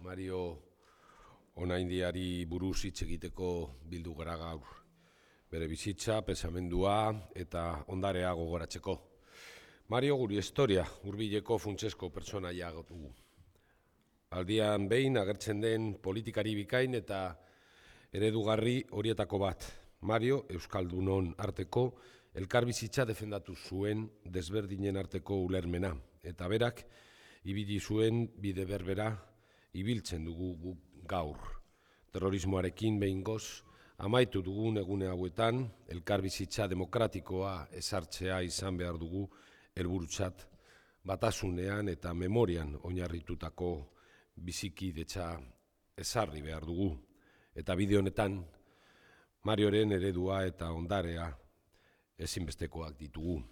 Mario Onaindiari buruz hitz egiteko bildu gara gaur. Bere bizitza, pensamendua eta ondarea gogoratzeko. Mario guri historia, hurbileko funtsesko pertsonaia dugu. Aldian behin agertzen den politikari bikain eta eredugarri horietako bat. Mario Euskaldunon arteko elkarbizitza defendatu zuen desberdinen arteko ulermena. Eta berak, ibili zuen bide berbera ibiltzen dugu gaur. Terrorismoarekin behingoz, amaitu dugun egune hauetan, elkarbizitza demokratikoa ezartzea izan behar dugu helburutzat, batasunean eta memorian oinarritutako bizikidetza ezarri behar dugu. Eta bide honetan, Marioren eredua eta ondarea ezinbestekoak ditugu.